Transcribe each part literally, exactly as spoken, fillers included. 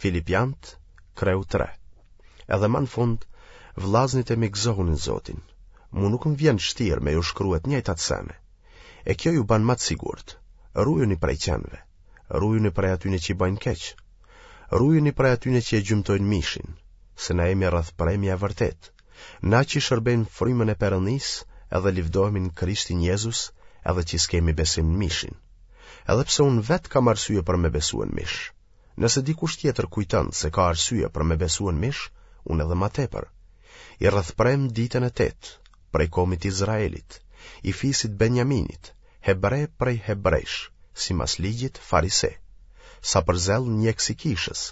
Filipiant, kreu tre. Edhe ma në fund, vllaznit e mi gëzohuni në Zotin. Mu nuk më vjen shtirë me ju shkrue të njëjtat sene. E kjo ju ban ma të sigurt. Rujuni prej qenve. Rujuni prej atyne që i bajnë keq. Rujuni prej atyne që e gjymtojnë mishin, se na jemi rrethpremja e vërtetë. Na që shërbejmë frymën e Perëndisë edhe livdohemi në Krishtin Jezus edhe që s'kemi besim në mishin. Edhe pse unë vetë kam arsye për me besue në mish. Nëse dikush tjetër kujton se ka arsye për me besue në mish, unë edhe ma tepër. I rrethprem ditën e tetë, prej komit Izraelit, i fisit Benjaminit, hebre prej hebrejsh, simas ligjit farise. Sa për zell ndjekës i kishës,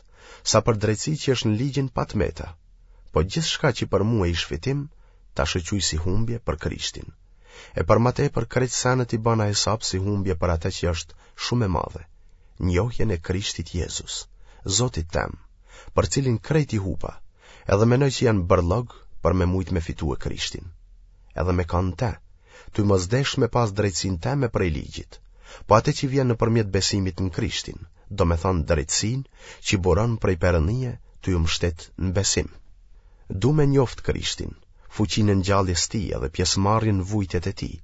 sa për drejtësi që është në ligjin pa të meta. Po gjithçka që për mua ish fitim, tash e quj si humbje për Krishtin. E për ma tepër krejt senet i bana hesap si humbje për atë që është shumë e madhe, njohjen e Krishtit Jezus, Zotit tem, për cilin krejt i hupa, edhe menoj që janë bërllog për me mujt me fitue Krishtin. Edhe me kanë te, ty mos desh me pas drejtësinë teme prej ligjit, po atë që vjen nëpërmjet besimit në Krishtin, do me thonë drejtësinë që buron prej Perëndie ty u mshtet në besim. Du me njoft Krishtin, fuqinë e ngjalljes tij edhe pjesëmarrjen në vujtjet e tij,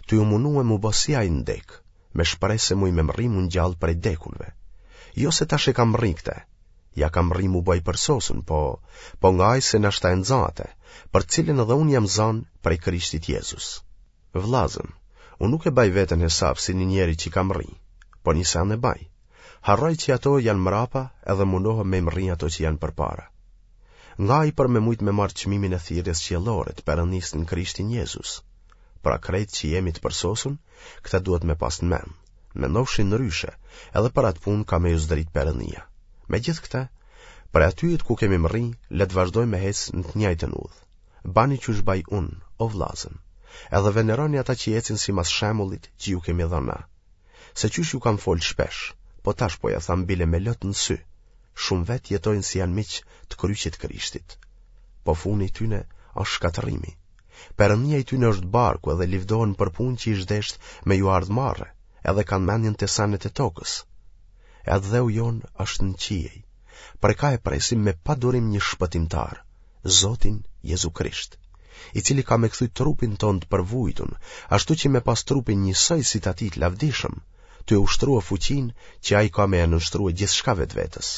ty u munue mu bo si ai në dek, me shpresë se muj me mrri mu ngjall prej dekunve. Jo se tash e kam mrri këte, ja kam mrri mu bo i përsosun, po, po ngaj se nashta e nxë atë, për cilin edhe unë jam zanë prej Krishtit Jezus. Vllazën, unë nuk e baj veten hesap si një njeri që kam mrri, po një sen e baj. Harroj që ato janë mrapa edhe mundohem me mrri ato që janë përpara. Ngaj për me mujt me marrë çmimin e thirrjes qiellore të Perëndisë në Krishtin Jezus. Pra krejt që jemi të përsosun, këta duhet me pas në mend. Mendofshi ndryshe, edhe për atë punë ka me ju zdrit Perëndia. Me gjithë këte, prej atyhit ku kemi mrri, le të vazhdojmë me hec në të njëjtën udhë. Bani qysh baj unë, o vllazën, edhe veneroni ata që ecin simas shembullit që ju kemi dhënë na. Se qysh ju kam fol shpesh, po tash po ja tham bile me lot në sy, shumë vetë jetojnë si janë miq të kryqit Krishtit. Po funi i tyne është shkatërrimi. Perëndia i tyne është barku edhe livdohen për punë që ish desht me ju ardhë marre, edhe kanë mendjen te senet e tokës. E atdheu jonë është në qiej, prej ka e presim me padurim një shpëtimtar, Zotin Jezu Krisht, i cili ka me kthy trupin tonë të përvujtun, ashtu që me pas trupin njësoj si të atij të lavdishëm, tu e ushtrua fuqinë që ai ka me e nënshtrua gjithçka vetvetes.